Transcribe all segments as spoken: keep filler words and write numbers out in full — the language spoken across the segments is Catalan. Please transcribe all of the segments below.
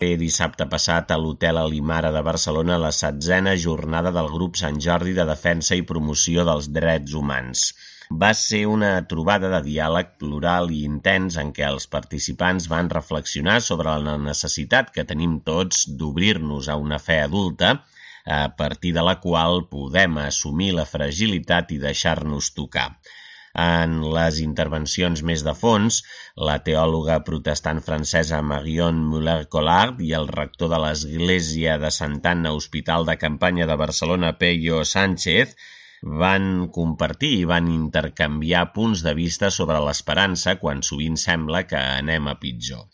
Dissabte passat a l'Hotel Alimara de Barcelona la setzena jornada del Grup Sant Jordi de Defensa i Promoció dels Drets Humans. Va ser una trobada de diàleg plural i intens en què els participants van reflexionar sobre la necessitat que tenim tots d'obrir-nos a una fe adulta, a partir de la qual podem assumir la fragilitat i deixar-nos tocar. En les intervencions més de fons, la teòloga protestant francesa Marion Muller-Collard i el rector de l'Església de Santa Anna Hospital de Campanya de Barcelona, Peyo Sánchez, van compartir i van intercanviar punts de vista sobre l'esperança quan sovint sembla que anem a pitjor.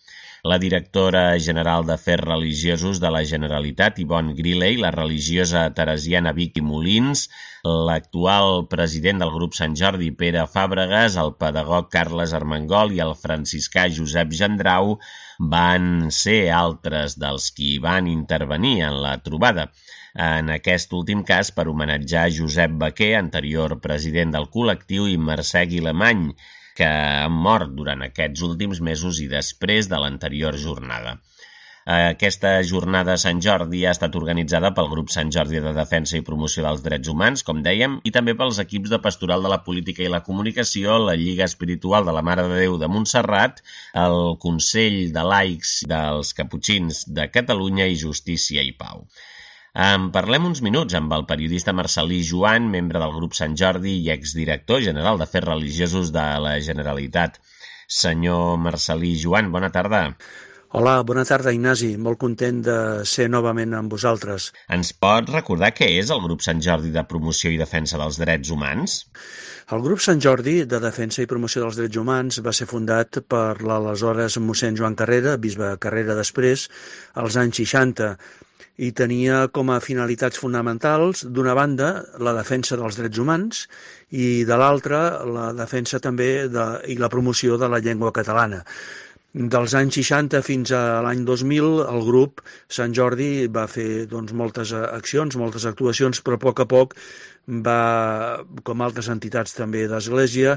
La directora general d'Afers Religiosos de la Generalitat, Yvonne Griley, la religiosa teresiana Vicky Molins, l'actual president del Grup Sant Jordi, Pere Fàbregas, el pedagog Carles Armengol i el franciscà Josep Gendrau van ser altres dels qui van intervenir en la trobada. En aquest últim cas per homenatjar Josep Baquer, anterior president del col·lectiu, i Mercè Guilemany, que han mort durant aquests últims mesos i després de l'anterior jornada. Aquesta jornada a Sant Jordi ha estat organitzada pel Grup Sant Jordi de Defensa i Promoció dels Drets Humans, com dèiem, i també pels equips de Pastoral de la Política i la Comunicació, la Lliga Espiritual de la Mare de Déu de Montserrat, el Consell de Laics dels Caputxins de Catalunya i Justícia i Pau. En parlem uns minuts amb el periodista Marcel·lí Joan, membre del Grup Sant Jordi i exdirector general d'Afers Religiosos de la Generalitat. Senyor Marcel·lí Joan, bona tarda. Hola, bona tarda, Ignasi. Molt content de ser novament amb vosaltres. Ens pot recordar què és el Grup Sant Jordi de Promoció i Defensa dels Drets Humans? El Grup Sant Jordi de Defensa i Promoció dels Drets Humans va ser fundat per l'aleshores mossèn Joan Carrera, bisbe Carrera després, als anys seixanta, i tenia com a finalitats fonamentals, d'una banda, la defensa dels drets humans i de l'altra, la defensa també de, i la promoció de la llengua catalana. Dels anys seixanta fins a l'any dos mil, el grup Sant Jordi va fer doncs, moltes accions, moltes actuacions, però a poc a poc va, com altres entitats també d'Església,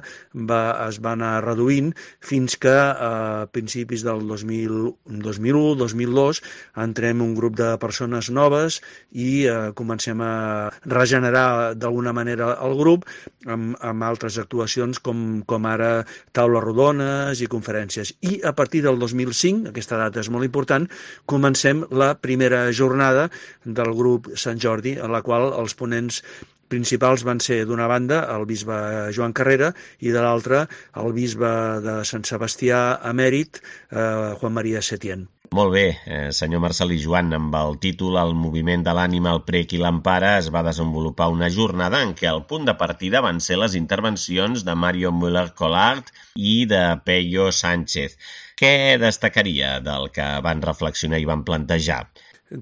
va, es va anar reduint fins que a principis del dos mil u, dos mil dos entrem un grup de persones noves i eh, comencem a regenerar d'alguna manera el grup amb, amb altres actuacions com, com ara taules rodones i conferències. I a partir del dos mil cinc, aquesta data és molt important, comencem la primera jornada del grup Sant Jordi, en la qual els ponents principals van ser, d'una banda, el bisbe Joan Carrera i de l'altra, el bisbe de Sant Sebastià emèrit, eh, Juan María Setién. Molt bé, eh, senyor Marcel·lí Joan, amb el títol El moviment de l'ànima, el prec i l'empara es va desenvolupar una jornada en què el punt de partida van ser les intervencions de Mario Muller-Collard i de Peyo Sánchez. Què destacaria del que van reflexionar i van plantejar?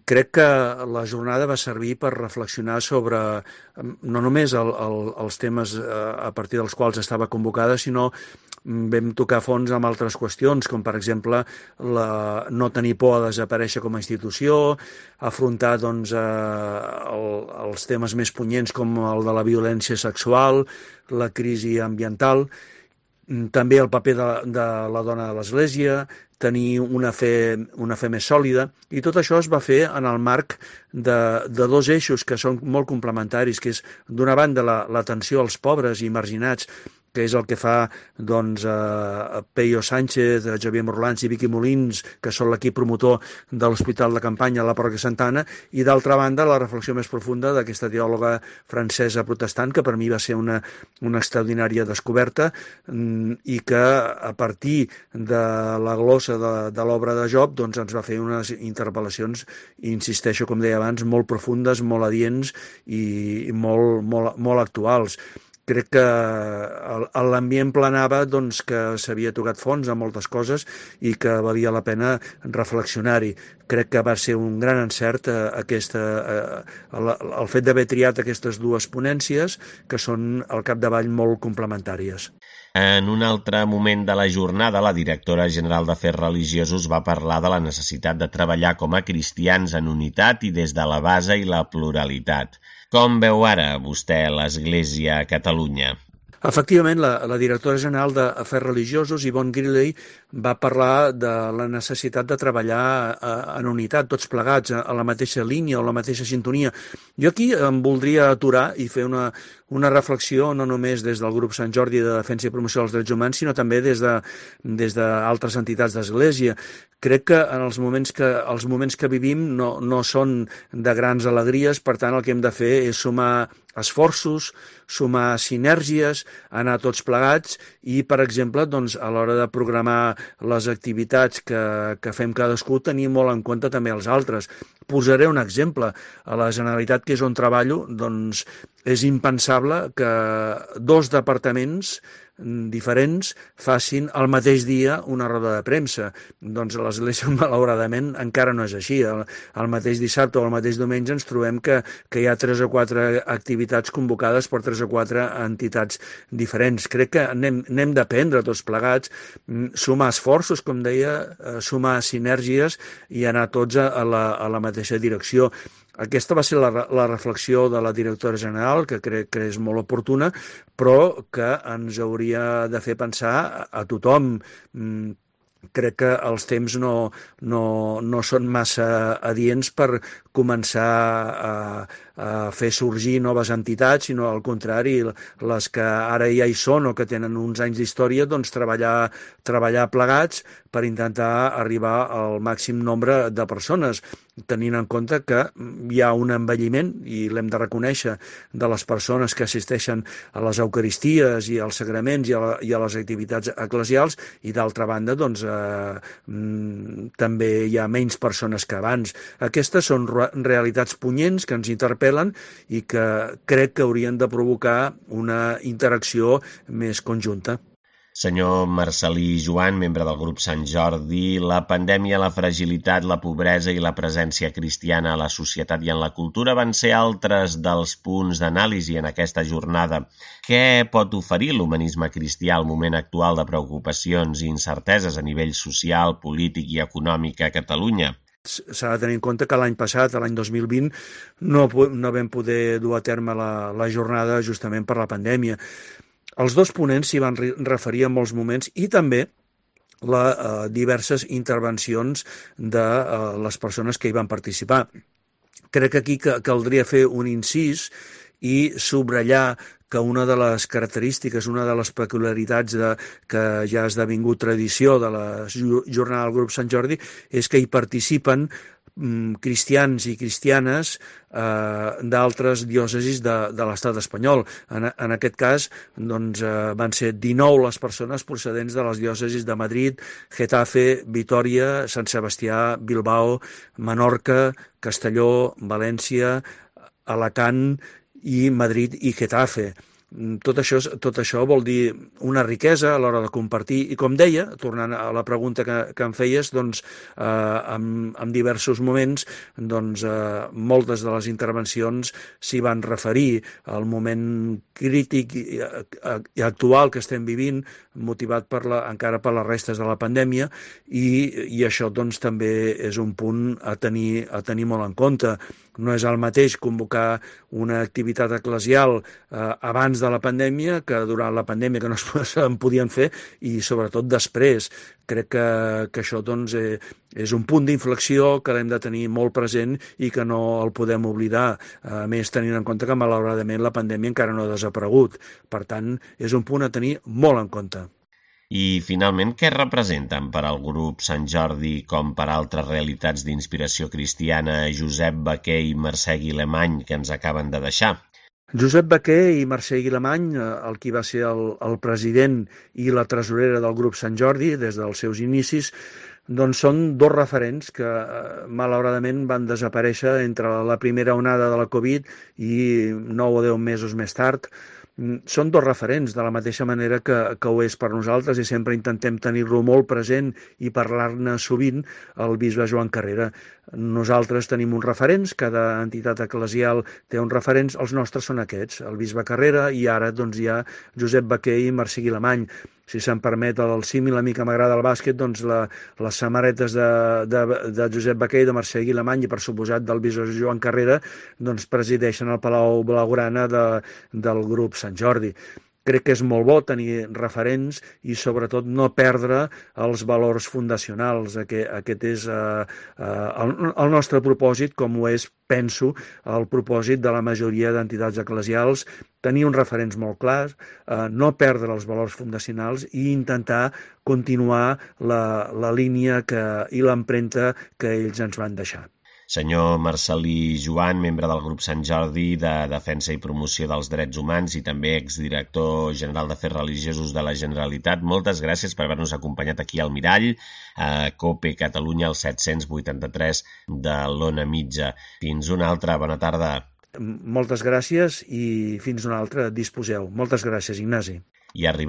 Crec que la jornada va servir per reflexionar sobre no només el, el, els temes a partir dels quals estava convocada, sinó vam tocar fons amb altres qüestions, com per exemple la, no tenir por a desaparèixer com a institució, afrontar doncs, el, els temes més punyents com el de la violència sexual, la crisi ambiental, també el paper de, de la dona de l'Església, tenir una fe, una fe més sòlida, i tot això es va fer en el marc de, de dos eixos que són molt complementaris, que és, d'una banda, l'atenció als pobres i marginats, que és el que fa doncs, eh, Peyo Sánchez, Xavier Morlans i Vicky Molins, que són l'equip promotor de l'Hospital de Campanya a la Parròquia Santa Anna, i d'altra banda la reflexió més profunda d'aquesta teòloga francesa protestant, que per mi va ser una, una extraordinària descoberta, i que a partir de la glossa de, de l'obra de Job doncs, ens va fer unes interpel·lacions, insisteixo, com deia abans, molt profundes, molt adients i molt, molt, molt actuals. Crec que l'ambient planava doncs, que s'havia tocat fons a moltes coses i que valia la pena reflexionar-hi. Crec que va ser un gran encert eh, aquesta, eh, el, el fet d'haver triat aquestes dues ponències, que són al capdavall molt complementàries. En un altre moment de la jornada, la directora general d'Afers Religiosos va parlar de la necessitat de treballar com a cristians en unitat i des de la base i la pluralitat. Com veu ara vostè l'Església a Catalunya? Efectivament, la, la directora general d'Afers Religiosos, Yvonne Griley, va parlar de la necessitat de treballar a, en unitat, tots plegats, a, a la mateixa línia o la mateixa sintonia. Jo aquí em voldria aturar i fer una, una reflexió no només des del grup Sant Jordi de Defensa i Promoció dels Drets Humans, sinó també des de, des d'altres entitats d'Església. Crec que en els moments que, els moments que vivim no, no són de grans alegries, per tant el que hem de fer és sumar esforços, sumar sinergies, anar tots plegats i, per exemple, doncs, a l'hora de programar les activitats que, que fem cadascú, tenir molt en compte també els altres. Posaré un exemple. A la Generalitat, que és on treballo, doncs és impensable que dos departaments diferents facin el mateix dia una roda de premsa. Doncs a l'Església, malauradament, encara no és així. El, el mateix dissabte o el mateix diumenge ens trobem que, que hi ha tres o quatre activitats convocades per tres o quatre entitats diferents. Crec que n'hem, n'hem d'aprendre tots plegats, sumar esforços, com deia, sumar sinergies i anar tots a la, a la mateixa direcció. Aquesta va ser la, la reflexió de la directora general, que crec que és molt oportuna, però que ens hauria de fer pensar a, a tothom. Crec que els temps no, no, no són massa adients per començar a, a fer sorgir noves entitats, sinó al contrari, les que ara ja hi són o que tenen uns anys d'història, doncs treballar, treballar plegats per intentar arribar al màxim nombre de persones, tenint en compte que hi ha un envelliment, i l'hem de reconèixer, de les persones que assisteixen a les eucaristies i als sagraments i a, la, i a les activitats eclesials, i d'altra banda, doncs, eh, també hi ha menys persones que abans. Aquestes són realitats punyents que ens interpel·len i que crec que haurien de provocar una interacció més conjunta. Senyor Marcel·lí Joan, membre del grup Sant Jordi, la pandèmia, la fragilitat, la pobresa i la presència cristiana a la societat i en la cultura van ser altres dels punts d'anàlisi en aquesta jornada. Què pot oferir l'humanisme cristià al moment actual de preocupacions i incerteses a nivell social, polític i econòmic a Catalunya? S'ha de tenir en compte que l'any passat, l'any dos mil vint, no, no vam poder dur a terme la, la jornada justament per la pandèmia. Els dos ponents s'hi van referir en molts moments i també les eh, diverses intervencions de eh, les persones que hi van participar. Crec que aquí caldria fer un incís i subratllar que una de les característiques, una de les peculiaritats de, que ja ha esdevingut tradició de la jornada del grup Sant Jordi és que hi participen cristians i cristianes eh, d'altres diòcesis de, de l'estat espanyol. En, en aquest cas, doncs, eh, van ser dinou les persones procedents de les diòcesis de Madrid, Getafe, Vitòria, Sant Sebastià, Bilbao, Menorca, Castelló, València, Alacant i Madrid i Getafe. Tot això, tot això vol dir una riquesa a l'hora de compartir i, com deia, tornant a la pregunta que, que em feies, doncs, eh, en, en diversos moments doncs, eh, moltes de les intervencions s'hi van referir al moment crític i, i actual que estem vivint, motivat per la, encara per les restes de la pandèmia, i, i això doncs, també és un punt a tenir, a tenir molt en compte. No és el mateix convocar una activitat eclesial eh, abans de la pandèmia que durant la pandèmia, que no es podien fer, i sobretot després. Crec que, que això doncs, eh, és un punt d'inflexió que l'hem de tenir molt present i que no el podem oblidar, a més tenint en compte que malauradament la pandèmia encara no ha desaparegut. Per tant, és un punt a tenir molt en compte. I, finalment, què representen per al grup Sant Jordi, com per altres realitats d'inspiració cristiana, Josep Baquer i Mercè Guilemany, que ens acaben de deixar? Josep Baquer i Mercè Guilemany, el qui va ser el, el president i la tresorera del grup Sant Jordi des dels seus inicis, doncs són dos referents que malauradament van desaparèixer entre la primera onada de la Covid i nou o deu mesos més tard. Són dos referents, de la mateixa manera que, que ho és per nosaltres, i sempre intentem tenir-lo molt present i parlar-ne sovint, el bisbe Joan Carrera. Nosaltres tenim uns referents, cada entitat eclesial té uns referents, els nostres són aquests, el bisbe Carrera, i ara doncs, hi ha Josep Baquer i Mercè Guilemany. Si se'm permet el símil, a mi que m'agrada el bàsquet, doncs la, les samarretes de, de, de Josep Baquer i de Mercè Guilemany i, per suposat, del bisbe Joan Carrera, doncs presideixen el Palau Blaugrana de, del grup Sant Jordi. crec que és molt bo tenir referents i sobretot no perdre els valors fundacionals. Aquest, aquest és uh, uh, el, el nostre propòsit, com ho és, penso, el propòsit de la majoria d'entitats eclesials, tenir uns referents molt clars, uh, no perdre els valors fundacionals i intentar continuar la, la línia que, i l'empremta que ells ens van deixar. Senyor Marcel·lí Joan, membre del grup Sant Jordi de Defensa i Promoció dels Drets Humans i també exdirector general d'Afers Religiosos de la Generalitat, moltes gràcies per haver-nos acompanyat aquí al Mirall, a COPE Catalunya, al set-cents vuitanta-tres de l'Ona Mitja. Fins una altra, bona tarda. Moltes gràcies i fins una altra, disposeu. Moltes gràcies, Ignasi. I arribem